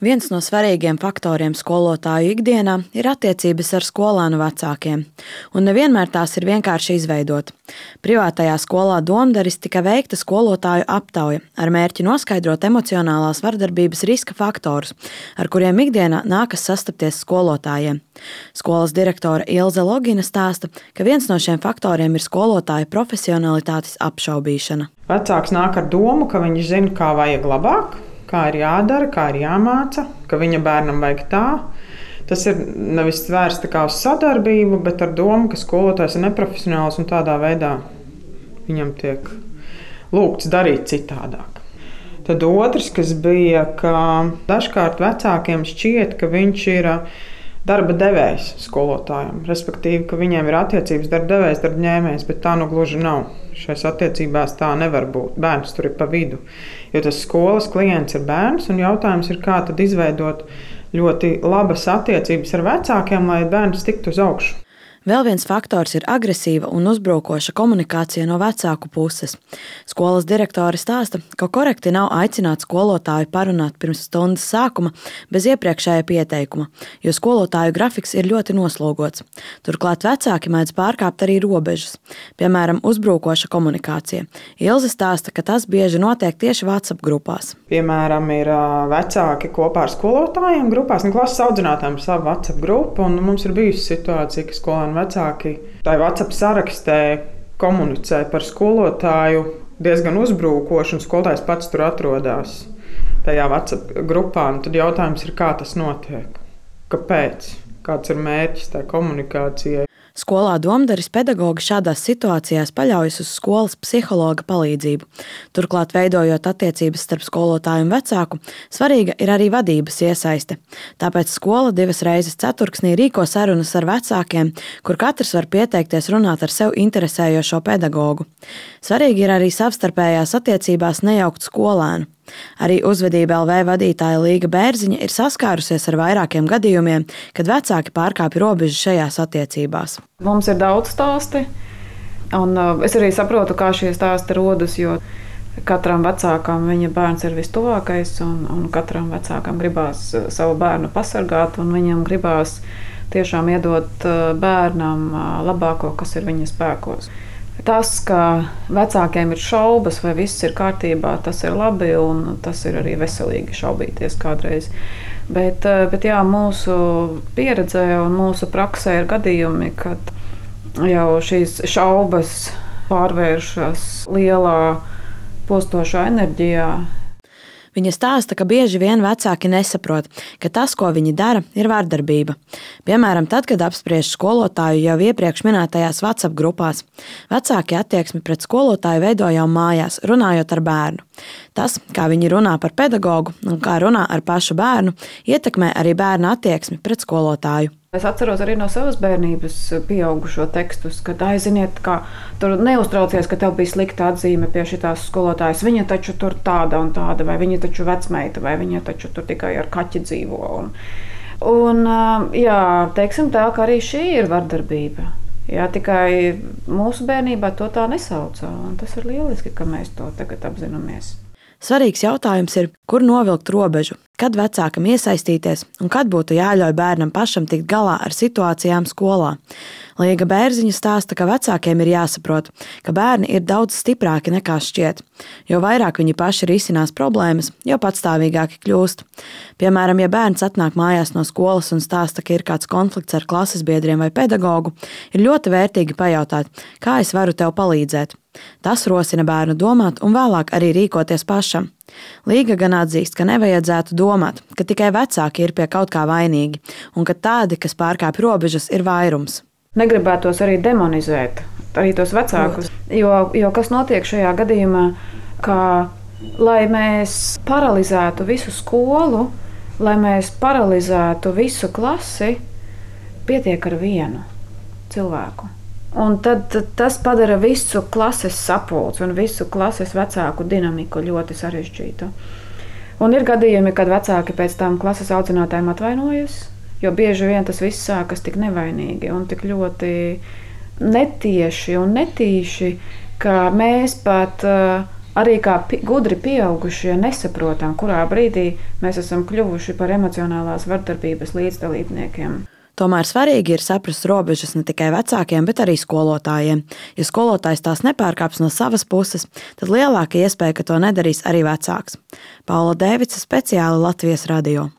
Viens no svarīgiem faktoriem skolotāju ikdienā ir attiecības ar skolēnu vecākiem, un nevienmēr tās ir vienkārši izveidot. Privātajā skolā Domdaris tika veikta skolotāju aptauja ar mērķi noskaidrot emocionālās vardarbības riska faktorus, ar kuriem ikdienā nākas sastapties skolotājiem. Skolas direktore Ilze Logina stāsta, ka viens no šiem faktoriem ir skolotāju profesionalitātes apšaubīšana. Vecāks nāk ar domu, ka viņš zina, kā vajag labāk, kā ir jādara, kā ir jāmāca, ka viņa bērnam vajag tā. Tas ir nevis vērsts uz sadarbību, bet ar domu, ka skolotājs ir neprofesionāls un tādā veidā viņam tiek lūgts darīt citādāk. Tad otrs, kas bija, ka dažkārt vecākiem šķiet, ka viņš ir darba devējs skolotājiem. Respektīvi, ka viņiem ir attiecības darba devējs, darba ņēmējs, bet tā nu gluži nav. Šajās attiecībās tā nevar būt. Bērns tur ir pa vidu. Jo tas skolas klients ir bērns, un jautājums ir, kā tad izveidot ļoti labas attiecības ar vecākiem, lai bērns tiktu uz augšu. Vēl viens faktors ir agresīva un uzbrukoša komunikācija no vecāku puses. Skolas direktore stāsta, ka korekti nav aicināt skolotāju parunāt pirms stundas sākuma bez iepriekšēja pieteikuma, jo skolotāju grafiks ir ļoti noslogots. Turklāt vecāki mēdz pārkāpt arī robežas, piemēram, uzbrukoša komunikācija. Ilze stāsta, ka tas bieži notiek tieši WhatsApp grupās. Piemēram, ir vecāki kopā ar skolotājiem grupās, un klases audzinātājiem ir sava WhatsApp grupa, un mums ir bijusi situācija, ka skolēni vecāki tā WhatsApp sarakstē komunicē par skolotāju diezgan uzbrukoši, un skolotājs pats tur atrodas tajā WhatsApp grupā. Un tad jautājums ir, kā tas notiek? Kāpēc? Kāds ir mērķis tā komunikācijai? Skolā Domdaris pedagogi šādās situācijās paļaujas uz skolas psihologa palīdzību. Turklāt, veidojot attiecības starp skolotāju un vecāku, svarīga ir arī vadības iesaiste. Tāpēc skola 2 reizes ceturksnī rīko sarunas ar vecākiem, kur katrs var pieteikties runāt ar sev interesējošo pedagogu. Svarīgi ir arī savstarpējās attiecībās nejaukt skolēnu. Arī Uzvedība LV vadītāja Līga Bērziņa ir saskārusies ar vairākiem gadījumiem, kad vecāki pārkāpja robežu šajās attiecībās. Mums ir daudz stāsti, un es arī saprotu, kā šie stāsti rodas, jo katram vecākam viņa bērns ir vistuvākais, un katram vecākam gribās savu bērnu pasargāt, un viņam gribās tiešām iedot bērnam labāko, kas ir viņa spēkos. Tas, ka vecākiem ir šaubas, vai viss ir kārtībā, tas ir labi, un tas ir arī veselīgi šaubīties kādreiz. Bet jā, mūsu pieredzē un mūsu praksē ir gadījumi, kad jau šīs šaubas pārvēršas lielā postošā enerģijā. Viņa stāsta, ka bieži vien vecāki nesaprot, ka tas, ko viņi dara, ir vardarbība. Piemēram, tad, kad apspriež skolotāju jau iepriekš minētajās WhatsApp grupās. Vecāki attieksmi pret skolotāju veido jau mājās, runājot ar bērnu. Tas, kā viņi runā par pedagogu un kā runā ar pašu bērnu, ietekmē arī bērna attieksmi pret skolotāju. Es atceros arī no savas bērnības pieaugušo tekstus, kad aiziniet, ka tur neuztraucies, ka tev bija slikta atzīme pie šitās skolotājas. Viņa taču tur tāda un tāda, vai viņa taču vecmeita, vai viņa taču tur tikai ar kaķi dzīvo. Un jā, teiksim tā, ka arī šī ir vardarbība. Jā, tikai mūsu bērnībā to tā nesaucā, un tas ir lieliski, ka mēs to tagad apzināmies. Svarīgs jautājums ir, kur novilkt robežu, kad vecākam iesaistīties un kad būtu jāļauj bērnam pašam tikt galā ar situācijām skolā. Līga Bērziņa stāsta, ka vecākiem ir jāsaprot, ka bērni ir daudz stiprāki nekā šķiet. Jo vairāk viņi paši risinās problēmas, jo patstāvīgāki kļūst. Piemēram, ja bērns atnāk mājās no skolas un stāsta, ka ir kāds konflikts ar klases biedriem vai pedagogu, ir ļoti vērtīgi pajautāt, kā es varu tev palīdzēt. Tas rosina bērnu domāt un vēlāk arī rīkoties pašam. Līga gan atzīst, ka nevajadzētu domāt, ka tikai vecāki ir pie kaut kā vainīgi un ka tādi, kas pārkāpj robežas, ir vairums. Negribētos arī demonizēt arī tos vecākus, jo kas notiek šajā gadījumā, ka lai mēs paralizētu visu skolu, lai mēs paralizētu visu klasi, pietiek ar vienu cilvēku. Un tad tas padara visu klases sapulci un visu klases vecāku dinamiku ļoti sarežģītu. Un ir gadījumi, kad vecāki pēc tam klases audzinātājiem atvainojas, jo bieži vien tas viss sākas tik nevainīgi un tik ļoti netieši un netīši, ka mēs pat Arī kā gudri pieaugušie nesaprotam, kurā brīdī mēs esam kļuvuši par emocionālās vardarbības līdzdalībniekiem. Tomēr svarīgi ir saprast robežas ne tikai vecākiem, bet arī skolotājiem. Ja skolotājs tās nepārkāps no savas puses, tad lielāka iespēja, ka to nedarīs arī vecāks. Paula Dēvica, speciāli Latvijas radio.